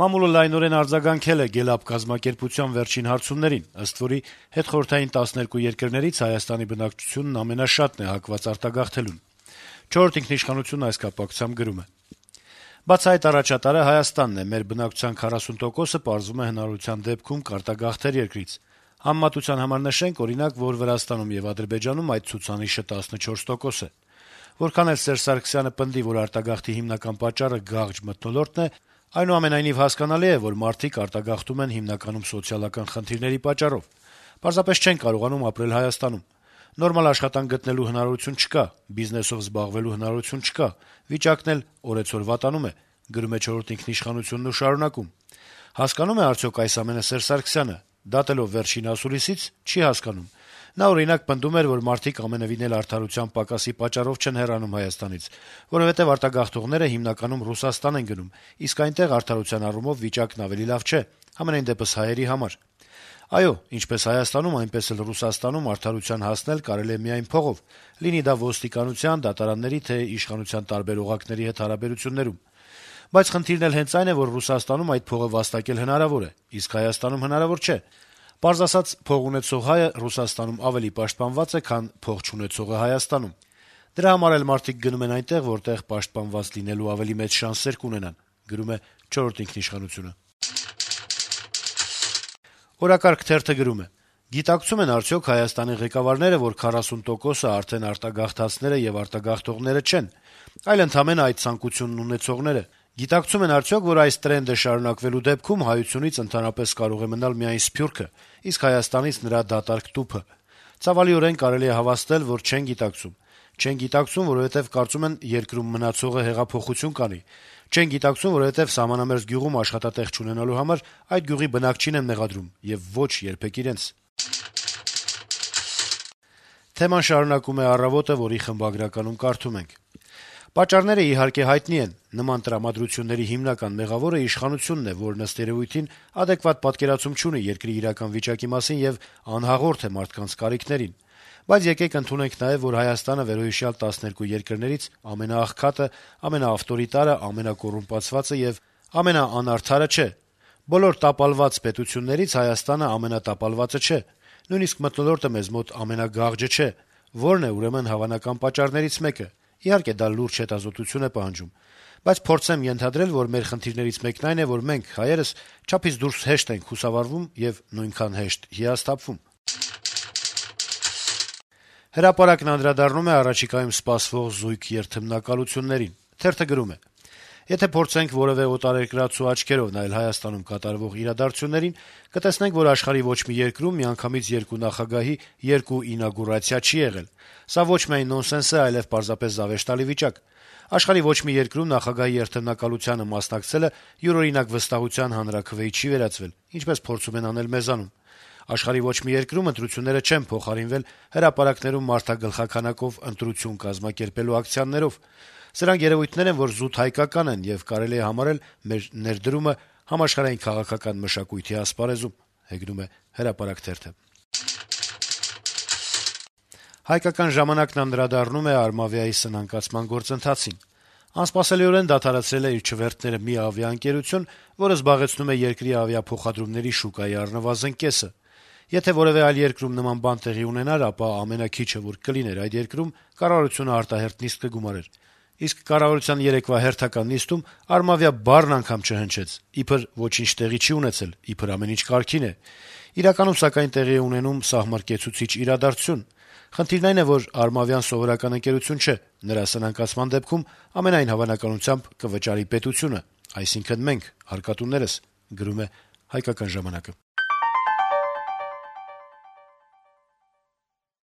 Մամուլը լայնորեն արձագանքել է Գելապ կազմակերպության վերջին հարցումներին, ըստ որի հետխորհրդային 12 երկրներից Հայաստանի բնակչությունն ամենաշատն է հակված արտագաղթելուն։ «Չորրորդ ինքնիշխանությունն» այս կապակցությամբ գրում է. - «Բացահայտ առաջատարը Հայաստանն է, մեր բնակչության 40%-ը պարզվում է հնարավորության դեպքում կարտագաղթեր երկրից։ Համեմատության համար նշենք, օրինակ, որ Վրաստանում եւ Ադրբեջանում այդ ցուցանիշը 14% է։ Որքան էլ Սերժ Սարգսյանը պնդի, որ արտագաղթի հիմնական պատճառը գաղջ մթնոլորտն է, այնուամենայնիվ հասկանալի է, որ մարդիկ արտագաղթում են հիմնականում սոցիալական խնդիրների պատճառով։ Պարզապես չեն կարողանում ապրել Հայաստանում։ Նորմալ աշխատանք գտնելու հնարավորություն չկա, բիզնեսով զբաղվելու հնարավորություն չկա, վիճակն էլ օրեցօր վատանում է», գրում է «Չորրորդ ինքնիշխանությունն» ու շարունակում. - «Հասկանո՞ւմ է արդյոք այս ամենը Սերժ Սարգսյանը։ Դատելով վերջին ասուլիսից՝ չի հասկանում։ Նա, օրինակ, պնդում էր, որ մարդիկ ամենեւին էլ արդարության պակասի պատճառով չեն հեռանում Հայաստանից, որովհետեւ արտագաղթողները հիմնականում Ռուսաստան են գնում, իսկ այնտեղ արդարության առումով վիճակն ավելի լավ չէ, համենայն դեպս հայերի համար։ Այո, ինչպես Հայաստանում, այնպես էլ Ռուսաստանում արդարության հասնել կարելի է միայն փողով, լինի դա ոստիկանության, դատարանների, թե իշխանության տարբեր օղակների հետ հարաբերություններում։ Բայց խնդիրն էլ հենց այն է, որ Ռուսաստանում այդ փողը վաստակել հնարավոր է, իսկ Հայաստանում հնարավոր չէ։ Պարզ ասած, փող ունեցող հայը Ռուսաստանում ավելի պաշտպանված է, քան փող չունեցողը Հայաստանում։ Դրա համար էլ մարդիկ գնում են այնտեղ, որտեղ պաշտպանված լինելու ավելի մեծ շանսեր կունենան», գրում է «Չորրորդ ինքնիշխանությունը»։ «Օրակարգ» թերթը գրում է. - «Գիտակցում են արդյոք Հայաստանի ղեկավարները, որ 40%-ը արդեն արտագաղթածները եւ արտագաղթողները չեն, այլ ընդամենը այդ ցանկությունն ունեցողները։ Գիտակցում են արդյոք, որ այս տրենդը շարունակվելու դեպքում հայությունից ընդհանրապես կարող է մնալ միայն սփյուռքը, իսկ Հայաստանից նրա դատարկ տուփը։ Ցավալիորեն կարելի է հավաստել, որ չեն գիտակցում։ Չեն գիտակցում, որովհետեւ կարծում են երկրում մնացողը հեղափոխություն կանի։ Չեն գիտակցում, որովհետեւ սահմանամերձ գյուղում աշխատատեղ չունենալու համար այդ գյուղի բնակչին են մեղադրում եւ ոչ երբեք իրենց»։ Թեման շարունակում է «Առավոտ»-ը, որի խմբագրականում կարդում ենք. - «Պատճառները իհարկե հայտնի են. նման տրամադրությունների հիմնական մեղավորը իշխանությունն է, որն ըստ երեւույթին ադեկվատ պատկերացում չունի երկրի իրական վիճակի մասին եւ անհաղորդ է մարդկանց կարիքներին։ Բայց եկեք ընդունենք նաեւ, որ Հայաստանը վերոհիշյալ 12 երկրներից ամենաաղքատը, ամենաավտորիտարը, ամենակոռումպացվածը եւ ամենաանարդարը չէ։ Բոլոր տապալված պետություններից Հայաստանը ամենատապալվածը չէ։ Նույնիսկ մթնոլորտը մեզ մոտ ամենագաղջը չէ։ Որն է ուրեմն հավանական պատճառներից մեկը։ Իհարկե դա լուրջ հետազոտություն է պահանջում։ Բայց փորձեմ ենթադրել, որ մեր խնդիրներից մեկն այն է, որ մենք, հայերս, չափից դուրս հեշտ ենք խուսավառվում եւ նույնքան հեշտ հիասթափվում»։ «Հրապարակ»-ն անդրադառնում է առաջիկայում սպասվող զույգ երթմնակալություններին։ Թերթը գրում է. - «Եթե փորձենք որեւէ օտարերկրացու աչքերով նայել Հայաստանում կատարվող իրադարձություններին, կտեսնենք, որ աշխարհի ոչ մի երկրում միանգամից երկու նախագահի երկու ինագուրացիա չի եղել։ Սա ոչ միայն նոնսենս է, այլեւ պարզապես զավեշտալի վիճակ։ Աշխարհի ոչ մի երկրում նախագահի երթմնակալությանը մասնակցելը յուրօրինակ վստահության հանրաքվեի չի վերածվել, ինչպես փորձում են անել մեզանում։ Աշխարհի ոչ մի երկրում ընտրությունները չեն փոխարինվել հրապարակներում մարդագլխաքանակով ընտրություն կազմակերպելու ակցիաներով։ Սրանք երեւույթներ են, որ զուտ հայկական են եւ կարելի է համարել մեր ներդրումը համաշխարհային քաղաքական մշակույթի ասպարեզում»։ «Հայկական ժամանակ»-ն անդրադառնում է Արմավիայի սնանկացման գործընթացին. - «Անսպասելիորեն դադարեցրել է իր չվերթները մի ավիաընկերություն, որը զբաղեցնում է երկրի ավիափոխադրումների շուկայի առնվազն կեսը։ Եթե որեւէ այլ երկրում նման բան տեղի ունենար, ապա ամենաքիչը, որ կլիներ այդ երկրում, կառավարությունը արտահերթ նիստ կգումարեր։ Իսկ կառավարության երեկվա հերթական նիստում «Արմավիա» բառն անգամ չհնչեց, իբր ոչինչ տեղի չի ունեցել, իբր ամեն ինչ կարգին է։ Իրականում, սակայն, տեղի է ունենում սահմռկեցուցիչ իրադարձություն։ Խնդիրն այն է, որ «Արմավիան» սովորական ընկերություն չէ, նրա սնանկացման դեպքում ամենայն հավանականությամբ կվճարի պետությունը, այսինքն մենք՝ հարկատուներս»։